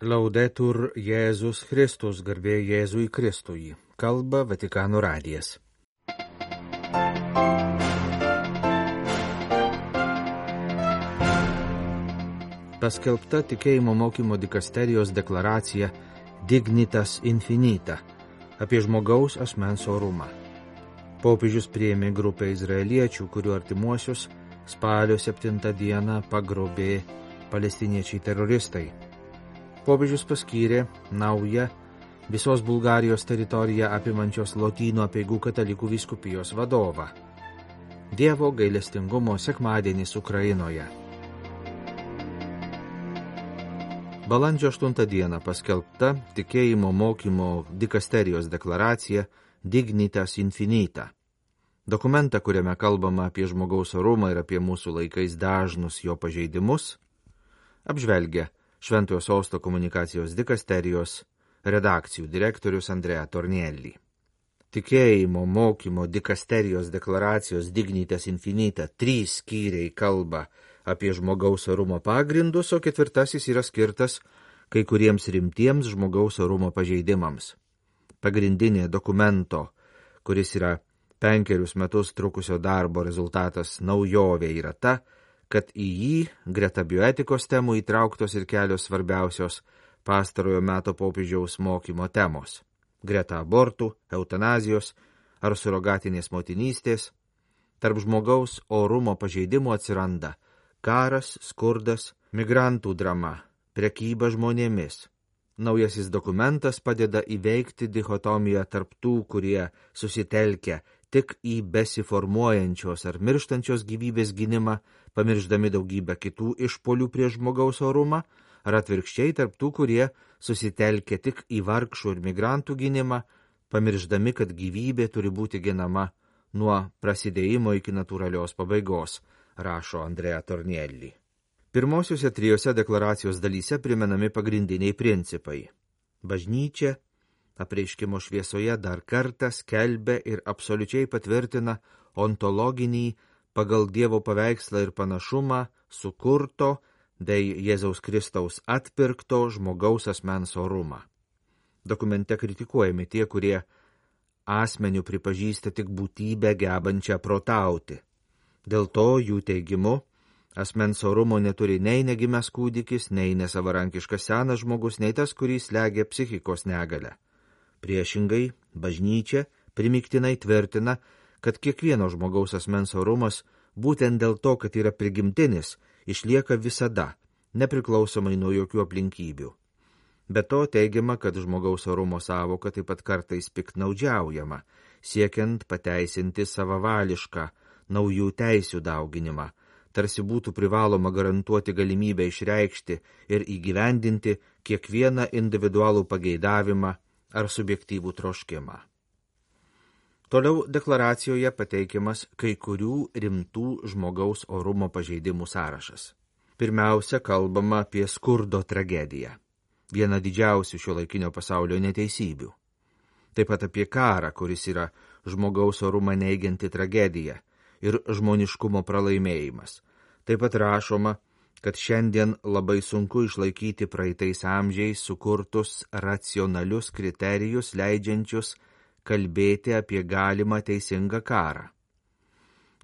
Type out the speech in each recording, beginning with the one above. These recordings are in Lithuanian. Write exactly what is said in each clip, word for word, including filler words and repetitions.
Laudetur Jėzus Kristus, garbė Jėzui Kristui. Kalba Vatikano radijas. Paskelbta tikėjimo mokymo dikasterijos deklaracija Dignitas Infinita apie žmogaus asmens orumą. Popiežius priėmė grupę izraeliečių, kurių artimuosius spalio septintą dieną pagrobė palestiniečiai teroristai. Popiežius paskyrė naują visos Bulgarijos teritoriją apimančios Lotynų apeigų katalikų vyskupijos vadovą. Dievo gailestingumo sekmadienis Ukrainoje. Balandžio aštuntą dieną paskelbta tikėjimo mokymo dikasterijos deklaracija Dignitas Infinita. Dokumentą, kuriame kalbama apie žmogaus orumą ir apie mūsų laikais dažnus jo pažeidimus, apžvelgia Šventojo Sosto komunikacijos dikasterijos redakcijų direktorius Andrea Tornielli. Tikėjimo mokymo dikasterijos deklaracijos Dignitas Infinita trys skyriai kalba apie žmogaus orumo pagrindus, o ketvirtasis yra skirtas kai kuriems rimtiems žmogaus orumo pažeidimams. Pagrindinė dokumento, kuris yra penkerius metus trukusio darbo rezultatas naujovė, yra ta, kad į jį greta bioetikos temų įtrauktos ir kelios svarbiausios pastarojo meto popiežiaus mokymo temos. Greta abortų, eutanazijos ar surogatinės motinystės, tarp žmogaus orumo pažeidimų atsiranda karas, skurdas, migrantų drama, prekyba žmonėmis. Naujasis dokumentas padeda įveikti dichotomiją tarp tų, kurie susitelkia tik į besiformuojančios ar mirštančios gyvybės gynimą, pamirždami daugybę kitų išpolių prieš žmogaus orumą, ar atvirkščiai tarp tų, kurie susitelkia tik į vargšų ir migrantų gynimą, pamirždami, kad gyvybė turi būti ginama nuo prasidėjimo iki natūralios pabaigos, rašo Andrea Tornielli. Pirmosiuose trijose deklaracijos dalyse primenami pagrindiniai principai. Bažnyčia apreiškimo šviesoje dar kartą skelbia ir absoliučiai patvirtina ontologinį pagal Dievo paveikslą ir panašumą sukurto dėl Jėzaus Kristaus atpirkto žmogaus asmens orumą. Dokumente kritikuojami tie, kurie asmeniu pripažįsta tik būtybę gebančią protauti. Dėl to jų teigimu asmens orumo neturi nei negimęs kūdikis, nei nesavarankiškas senas žmogus, nei tas, kurį slegia psichikos negalia. Priešingai, bažnyčia primiktinai tvirtina, kad kiekvieno žmogaus asmens orumas, būtent dėl to, kad yra prigimtinis, išlieka visada, nepriklausomai nuo jokių aplinkybių. Be to teigiama, kad žmogaus orumo sąvoka taip pat kartais piktnaudžiaujama, siekiant pateisinti savavališką naujų teisių dauginimą, tarsi būtų privaloma garantuoti galimybę išreikšti ir įgyvendinti kiekvieną individualų pageidavimą ar subjektyvų troškimą. Toliau deklaracijoje pateikiamas kai kurių rimtų žmogaus orumo pažeidimų sąrašas. Pirmiausia, kalbama apie skurdo tragediją, vieną didžiausių šiuolaikinio pasaulio neteisybių. Taip pat apie karą, kuris yra žmogaus orumą neigianti tragedija ir žmoniškumo pralaimėjimas. Taip pat rašoma, kad šiandien labai sunku išlaikyti praeitais amžiais sukurtus racionalius kriterijus, leidžiančius kalbėti apie galimą teisingą karą.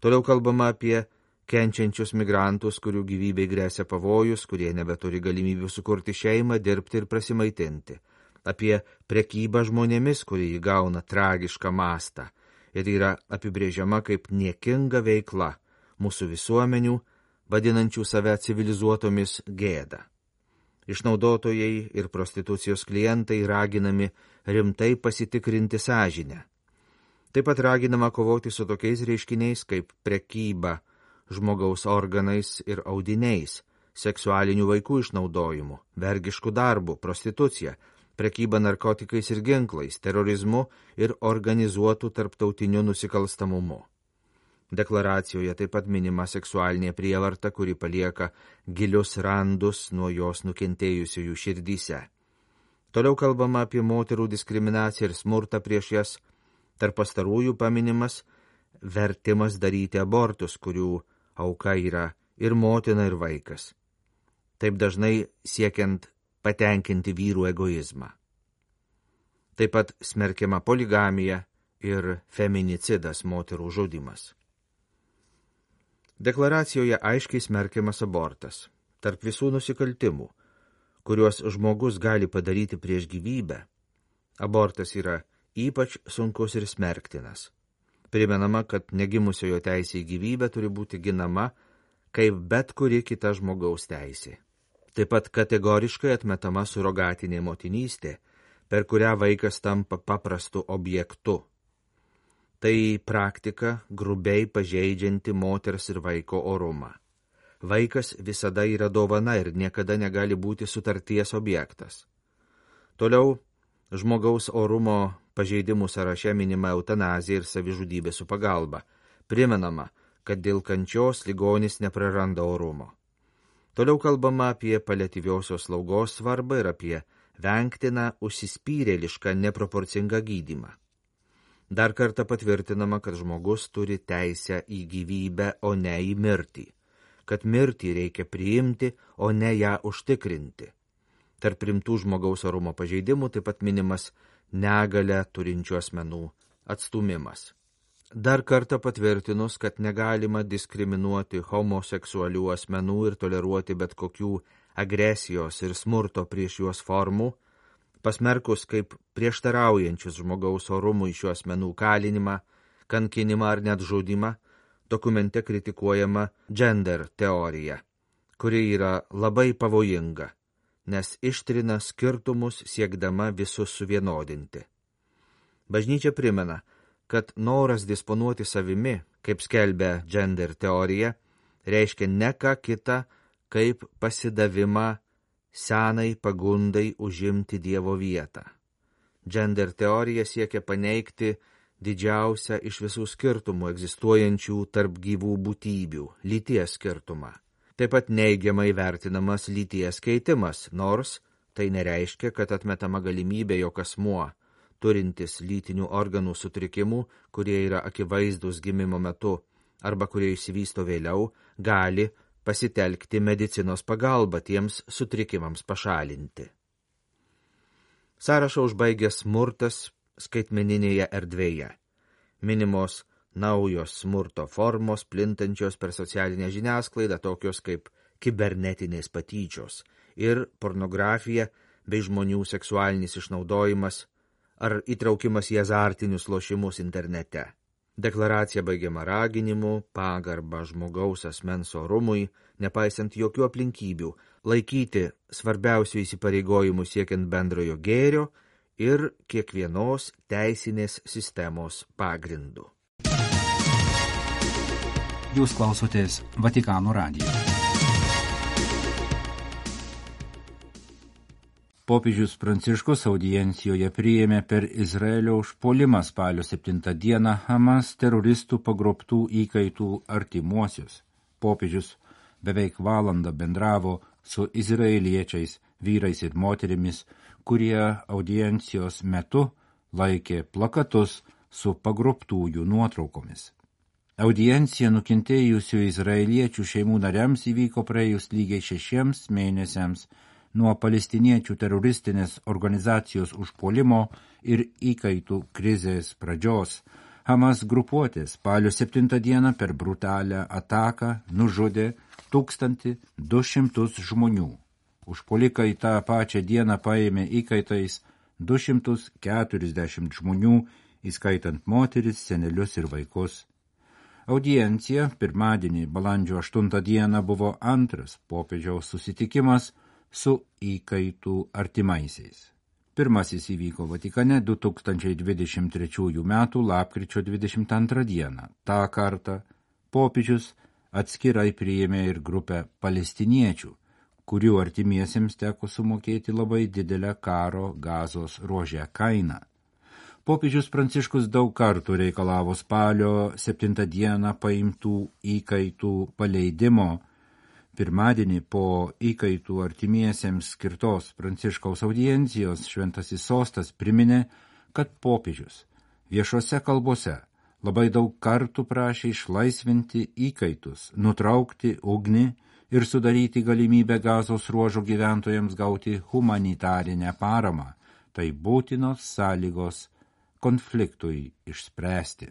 Toliau kalbama apie kenčiančius migrantus, kurių gyvybei gresia pavojus, kurie nebeturi galimybių sukurti šeimą, dirbti ir prasimaitinti. Apie prekybą žmonėmis, kuri įgauna tragišką mastą ir yra apibrėžiama kaip niekinga veikla mūsų visuomenių, vadinančių save civilizuotomis gėda. Išnaudotojai ir prostitucijos klientai raginami rimtai pasitikrinti sąžinę. Taip pat raginama kovoti su tokiais reiškiniais kaip prekyba žmogaus organais ir audiniais, seksualiniu vaikų išnaudojimu, vergišku darbu, prostitucija, prekyba narkotikais ir ginklais, terorizmu ir organizuotų tarptautiniu nusikalstamumu. Deklaracijoje taip pat minima seksualinė prievarta, kuri palieka gilius randus nuo jos nukentėjusiųjų širdyse. Toliau kalbama apie moterų diskriminaciją ir smurtą prieš jas, tarp pastarųjų paminimas vertimas daryti abortus, kurių auka yra ir motina, ir vaikas. Taip dažnai siekiant patenkinti vyrų egoizmą. Taip pat smerkiama poligamija ir feminicidas, moterų žudymas. Deklaracijoje aiškiai smerkiamas abortas. Tarp visų nusikaltimų, kuriuos žmogus gali padaryti prieš gyvybę, abortas yra ypač sunkus ir smerktinas. Primenama, kad negimusiojo teisė į gyvybę turi būti ginama kaip bet kuri kita žmogaus teisė. Taip pat kategoriškai atmetama surogatinė motinystė, per kurią vaikas tampa paprastu objektu. Tai praktika grubiai pažeidžianti moters ir vaiko orumą. Vaikas visada yra dovana ir niekada negali būti sutarties objektas. Toliau, žmogaus orumo pažeidimų sąraše minima eutanazija ir savižudybė su pagalba. Primenama, kad dėl kančios ligonis nepraranda orumo. Toliau kalbama apie paliatyviosios slaugos svarbą ir apie vengtiną užsispyrėlišką neproporcingą gydymą. Dar kartą patvirtinama, kad žmogus turi teisę į gyvybę, o ne į mirtį. Kad mirtį reikia priimti, o ne ją užtikrinti. Tarp rimtų žmogaus orumo pažeidimų taip pat minimas negalę turinčių asmenų atstumimas. Dar kartą patvirtinus, kad negalima diskriminuoti homoseksualių asmenų ir toleruoti bet kokių agresijos ir smurto prieš juos formų, pasmerkus kaip prieštaraujančius žmogaus orumui šių asmenų kalinimą, kankinimą ar net žudymą, dokumente kritikuojama gender teorija, kuri yra labai pavojinga, nes ištrina skirtumus siekdama visus suvienodinti. Bažnyčia primena, kad noras disponuoti savimi, kaip skelbia gender teorija, reiškia ne ką kitą, kaip pasidavimą senai pagundai užimti Dievo vietą. Gender teorija siekia paneigti didžiausią iš visų skirtumų egzistuojančių tarp gyvų būtybių – lyties skirtumą. Taip pat neigiamai vertinamas lyties keitimas, nors tai nereiškia, kad atmetama galimybė, jog asmuo, turintis lytinių organų sutrikimų, kurie yra akivaizdus gimimo metu arba kurie išsivysto vėliau, gali pasitelkti medicinos pagalbą tiems sutrikimams pašalinti. Sąrašą užbaigia smurtas skaitmeninėje erdvėje. Minimos naujos smurto formos, plintančios per socialinę žiniasklaidą, tokios kaip kibernetinės patyčios ir pornografija bei žmonių seksualinis išnaudojimas ar įtraukimas į azartinius lošimus internete. Deklaracija baigiama raginimu, pagarba žmogaus asmens orumui, nepaisant jokių aplinkybių, laikyti svarbiausių įsipareigojimų siekiant bendrojo gėrio ir kiekvienos teisinės sistemos pagrindu. Jūs klausotės Vatikano radijo. Popiežius Pranciškus audiencijoje priėmė per Izraelio užpuolimą spalio septintą dieną Hamas teroristų pagrobtų įkaitų artimuosius. Popiežius beveik valandą bendravo su izraeliečiais, vyrais ir moterimis, kurie audiencijos metu laikė plakatus su pagrobtųjų nuotraukomis. Audiencija nukentėjusių izraeliečių šeimų nariams įvyko praėjus lygiai šešiems mėnesiams nuo palestiniečių teroristinės organizacijos užpuolimo ir įkaitų krizės pradžios. Hamas grupuotė spalio septintą dieną per brutalią ataką nužudė tūkstantį du šimtus žmonių. Užpuolikai tą pačią dieną paėmė įkaitais du šimtus keturiasdešimt žmonių, įskaitant moteris, senelius ir vaikus. Audiencija pirmadienį balandžio aštuntą dieną buvo antras popiežiaus susitikimas su įkaitų artimaisiais. Pirmasis įvyko Vatikane du tūkstančiai dvidešimt trečiųjų metų lapkričio dvidešimt antrą dieną. Ta kartą popiežius atskirai priėmė ir grupę palestiniečių, kurių artimiesiems teko sumokėti labai didelę karo Gazos ruože kainą. Popiežius Pranciškus daug kartų reikalavo spalio septintą dieną paimtų įkaitų paleidimo. Pirmadienį po įkaitų artimiesiems skirtos Pranciškaus audiencijos Šventasis sostas priminė, kad popiežius viešose kalbose labai daug kartų prašė išlaisvinti įkaitus, nutraukti ugnį ir sudaryti galimybę Gazos ruožo gyventojams gauti humanitarinę paramą. Tai būtinos sąlygos konfliktui išspręsti.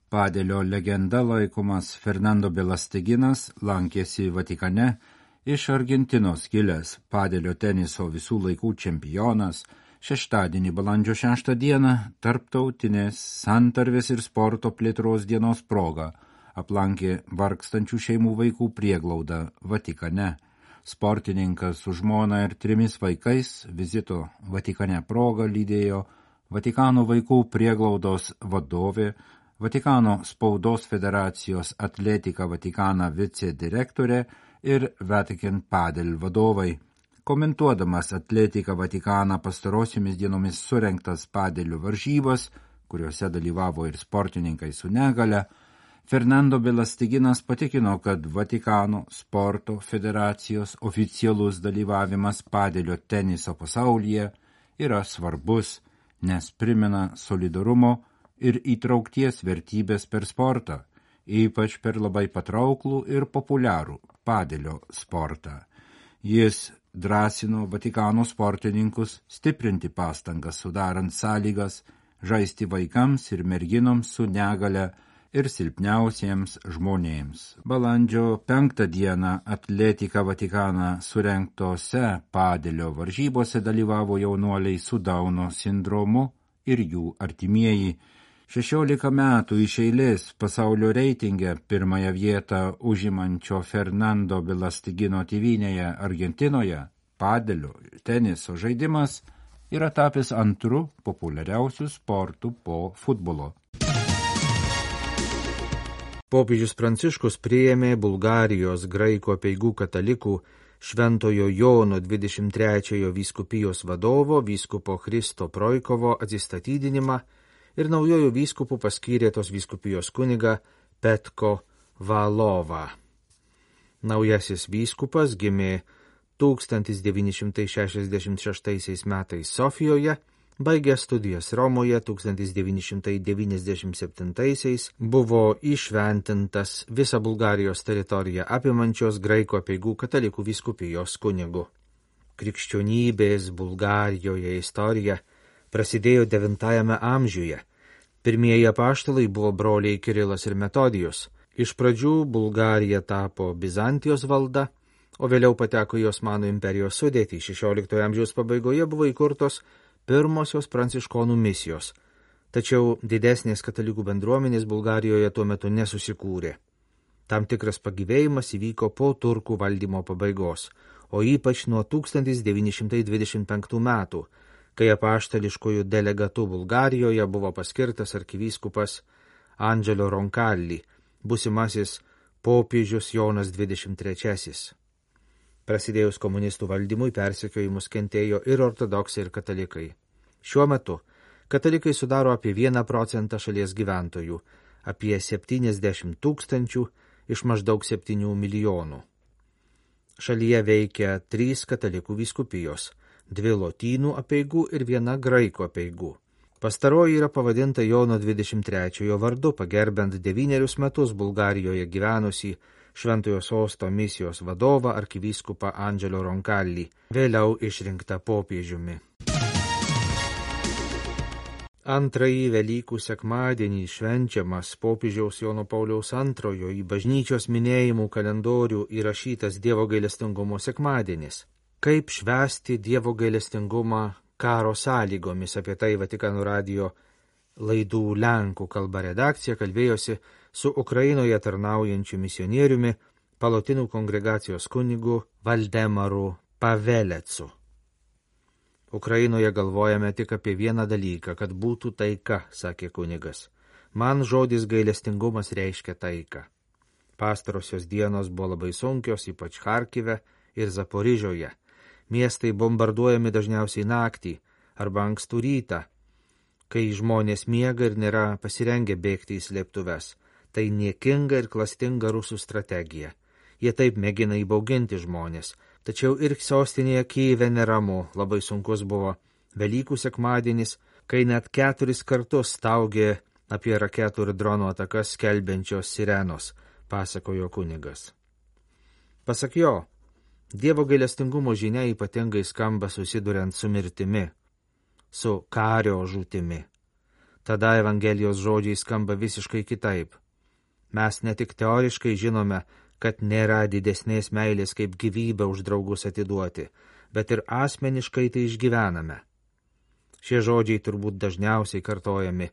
Padelio legenda laikomas Fernando Belasteginas lankėsi Vatikane, iš Argentinos kilęs padelio teniso visų laikų čempionas, šeštadienį balandžio šeštą dieną tarptautinės santarvės ir sporto plėtros dienos proga aplankė vargstančių šeimų vaikų prieglaudą Vatikane. Sportininkas su žmona ir trimis vaikais vizito Vatikane proga lydėjo Vatikano vaikų prieglaudos vadovė, Vatikano spaudos federacijos Atletika Vatikana vicedirektorė ir Vatican Padel vadovai. Komentuodamas Atletika Vatikaną pastarosiomis dienomis surengtas padelių varžybas, kuriuose dalyvavo ir sportininkai su negale, Fernando Belasteginas patikino, kad Vatikano sporto federacijos oficialus dalyvavimas padelio teniso pasaulyje yra svarbus, nes primena solidarumo ir įtraukties vertybės per sportą, ypač per labai patrauklų ir populiarų padelio sportą. Jis drąsino Vatikano sportininkus stiprinti pastangas sudarant sąlygas žaisti vaikams ir merginoms su negale ir silpniausiems žmonėms. Balandžio penktą dieną Atletika Vatikaną surengtose padelio varžybose dalyvavo jaunuoliai su Dauno sindromu ir jų artimieji. šešiolika metų iš eilės pasaulio reitinge pirmąją vietą užimančio Fernando Belastegino tėvynėje Argentinoje padelio teniso žaidimas yra tapęs antru populiariausių sportų po futbolo. Popiežius Pranciškus priėmė Bulgarijos graikų apeigų katalikų Šventojo Jono dvidešimt trečiojo vyskupijos vadovo vyskupo Christo Projkovo atsistatydinimą ir naujojų vyskupų paskyrė tos vyskupijos kunigą Petko Valovą. Naujasis vyskupas gimė tūkstantis devyni šimtai šešiasdešimt šeštaisiais metais Sofijoje, baigė studijas Romoje tūkstantis devyni šimtai devyniasdešimt septintaisiais, buvo įšventintas visą Bulgarijos teritoriją apimančios graikų apeigų katalikų vyskupijos kunigu. Krikščionybės Bulgarijoje istorija prasidėjo devintajame amžiuje. Pirmieji apaštalai buvo broliai Kirilas ir Metodijus. Iš pradžių Bulgarija tapo Bizantijos valda, o vėliau pateko į Osmanų imperijos sudėtį. šešioliktojo amžiaus pabaigoje buvo įkurtos pirmosios pranciškonų misijos, tačiau didesnės katalikų bendruomenės Bulgarijoje tuo metu nesusikūrė. Tam tikras pagyvėjimas įvyko po turkų valdymo pabaigos, o ypač nuo tūkstantis devyni šimtai dvidešimt penktų metų, kai apaštališkojų delegatų Bulgarijoje buvo paskirtas arkivyskupas Andželio Roncalli, būsimasis popiežius Jonas dvidešimt trečiasis. Prasidėjus komunistų valdymui persekiojimus kentėjo ir ortodoksai, ir katalikai. Šiuo metu katalikai sudaro apie vieną procentą šalies gyventojų, apie septyniasdešimt tūkstančių iš maždaug septynių milijonų. Šalyje veikia trys katalikų vyskupijos, dvi lotynų apeigų ir viena graikų apeigų. Pastaroji yra pavadinta Jono dvidešimt trečiojo vardu, pagerbent devynerius metus Bulgarijoje gyvenusį Šventojo sosto misijos vadovą arkivyskupą Andželio Roncalli, vėliau išrinktą popiežiumi. Antrąjį Velykų sekmadienį švenčiamas popiežiaus Jono Pauliaus antrojo į bažnyčios minėjimų kalendorių įrašytas Dievo gailestingumo sekmadienis. Kaip švęsti Dievo gailestingumą karo sąlygomis, apie tai Vatikano radijo laidų lenkų kalba redakcija kalbėjosi su Ukrainoje tarnaujančiu misionieriumi, Palotinų kongregacijos kunigu Valdemaru Pavelecu. Ukrainoje galvojame tik apie vieną dalyką, kad būtų taika, sakė kunigas. Man žodis gailestingumas reiškia taiką. Pastarosios dienos buvo labai sunkios, ypač Charkive ir Zaporižioje. Miestai bombarduojami dažniausiai naktį arba ankstų rytą, kai žmonės miega ir nėra pasirengę bėgti į slėptuves. Tai niekinga ir klastinga rusų strategija. Jie taip mėgina įbauginti žmonės. Tačiau ir sostinėje Kyjive neramu, labai sunkus buvo Velykų sekmadienis, kai net keturis kartus staugė apie raketų ir dronų atakas skelbiančios sirenos. pasakojo kunigas. Pasak jo, Dievo gailestingumo žinia ypatingai skamba susiduriant su mirtimi, su kario žūtimi. Tada Evangelijos žodžiai skamba visiškai kitaip. Mes ne tik teoriškai žinome, kad nėra didesnės meilės kaip gyvybę už draugus atiduoti, bet ir asmeniškai tai išgyvename. Šie žodžiai turbūt dažniausiai kartojami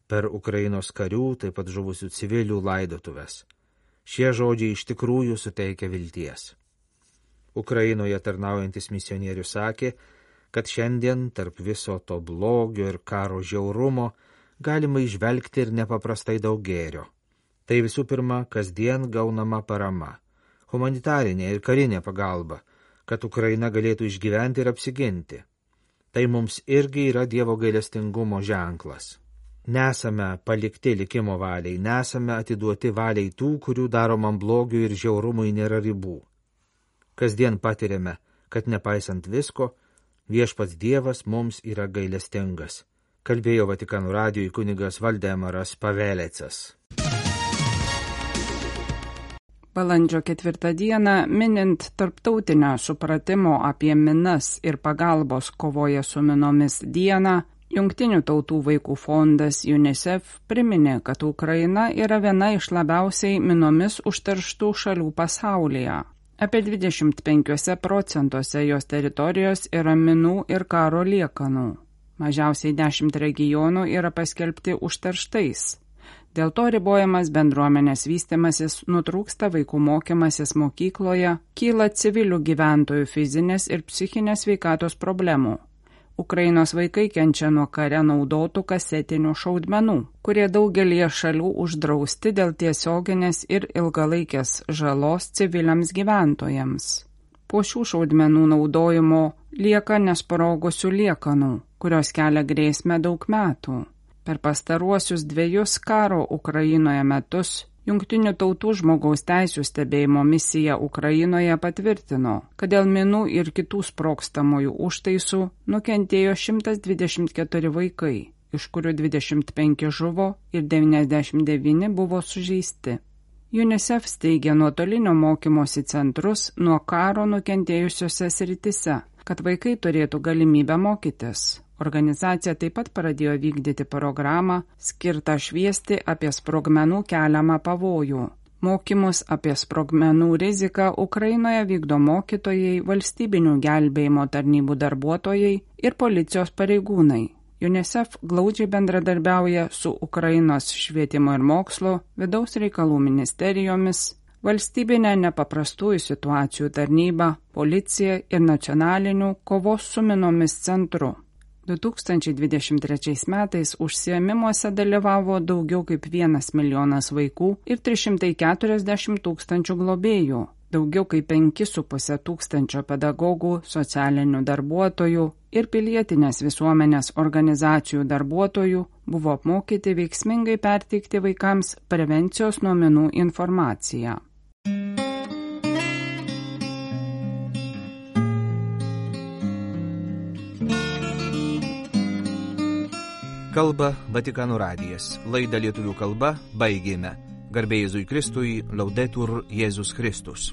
per Ukrainos karių, taip pat žuvusių civilių laidotuves. Šie žodžiai iš tikrųjų suteikia vilties. Ukrainoje tarnaujantis misionierius sakė, kad šiandien tarp viso to blogio ir karo žiaurumo galima įžvelgti ir nepaprastai daug gėrio. Tai visų pirma, kasdien gaunama parama, humanitarinė ir karinė pagalba, kad Ukraina galėtų išgyventi ir apsiginti. Tai mums irgi yra Dievo gailestingumo ženklas. Nesame palikti likimo valiai, nesame atiduoti valiai tų, kurių daromam blogiui ir žiaurumui nėra ribų. Kasdien patiriame, kad nepaisant visko, viešpats Dievas mums yra gailestingas, kalbėjo Vatikano radijui kunigas Valdemaras Pavelecas. Balandžio ketvirtą dieną, minint tarptautinę supratimo apie minas ir pagalbos kovoje su minomis dieną, Jungtinių tautų vaikų fondas UNICEF priminė, kad Ukraina yra viena iš labiausiai minomis užterštų šalių pasaulyje. Apie dvidešimt penkiuose procentuose jos teritorijos yra minų ir karo liekanų. Mažiausiai dešimt regionų yra paskelbti užterštais. Dėl to ribojamas bendruomenės vystimasis, nutrūksta vaikų mokymasis mokykloje, kyla civilių gyventojų fizinės ir psichinės sveikatos problemų. Ukrainos vaikai kenčia nuo kare naudotų kasetinių šaudmenų, kurie daugelie šalių uždrausti dėl tiesioginės ir ilgalaikės žalos civiliams gyventojams. Po šių šaudmenų naudojimo lieka nesprogusių liekanų, kurios kelia grėsmę daug metų. Per pastaruosius dviejus karo Ukrainoje metus Jungtinių tautų žmogaus teisių stebėjimo misija Ukrainoje patvirtino, kad dėl minų ir kitų sprogstamųjų užtaisų nukentėjo šimtas dvidešimt keturi vaikai, iš kurių dvidešimt penki žuvo ir devyniasdešimt devyni buvo sužeisti. UNICEF steigia nuotolinio mokymosi centrus nuo karo nukentėjusiose sritise, kad vaikai turėtų galimybę mokytis. Organizacija taip pat pradėjo vykdyti programą, skirtą šviesti apie sprogmenų keliamą pavojų. Mokymus apie sprogmenų riziką Ukrainoje vykdo mokytojai, valstybinių gelbėjimo tarnybų darbuotojai ir policijos pareigūnai. UNICEF glaudžiai bendradarbiauja su Ukrainos švietimo ir mokslo, vidaus reikalų ministerijomis, valstybinė nepaprastųjų situacijų tarnyba, policija ir nacionalinių kovos su minomis centru. du tūkstančiai dvidešimt trečiais metais užsiėmimuose dalyvavo daugiau kaip vienas milijonas vaikų ir trys šimtai keturiasdešimt tūkstančių globėjų, daugiau kaip penki su puse tūkstančio pedagogų, socialinių darbuotojų ir pilietinės visuomenės organizacijų darbuotojų buvo apmokyti veiksmingai perteikti vaikams prevencijos nuo minų informaciją. Kalba Vatikano radijas. Laidą lietuvių kalba baigėme. Garbė Jėzui Kristui, Laudetur Jėzus Kristus.